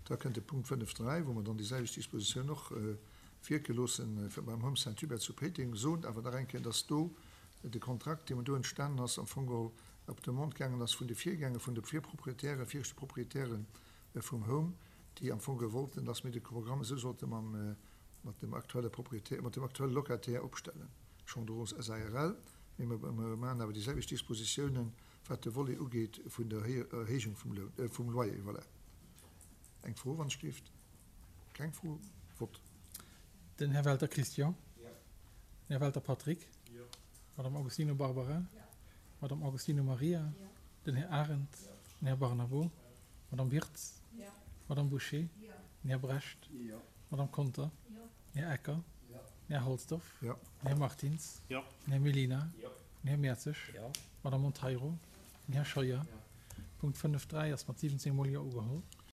Da kënnt de Punkt 5.3, wou mer dann déi selwecht Dispositioun och wierke loossen beim Home Saint-Hubert zu Péiteng. Soen awer nach eng Kéier, dass do de Kontrakt, dee do entstanen ass, am Fong geholl op Demande gaangen ass vun de Virgänger, vun de Virproprietären, viregte Proprietären vum Home, déi am Fong geholl wollten, dass mir de Programm esou sollte mam, mat dem aktuelle Proprietär, mat dem aktuelle Locataire opstellen, Chandrose SARL. Mee mer maachen awer déi selwecht Dispositiounen, wat de Volet ugeet vun der Erhéijung vum Loun, vum Loyer. Voilà. Eng Fro, wann ech dierft? Keng Fro? Vott. Den Här Welter Christian. Den Här Welter Patrick. D'Madame Agostino Barbara. D'Madame Agostino Maria. Den Här Arendt. Den Här Barnabo. D'Madame Wirtz. D'Madame Bouché. Den Här Brecht. D'Madame Conter. Den Här Ecker. Den Här Halsdorf. Den Här Martins. Den Här Mellina. Den Här Mertzig. D'Madame Monteiro. Den Här Scheuer. Punkt 5.3 ass mat 17 mol Jo ugeholl.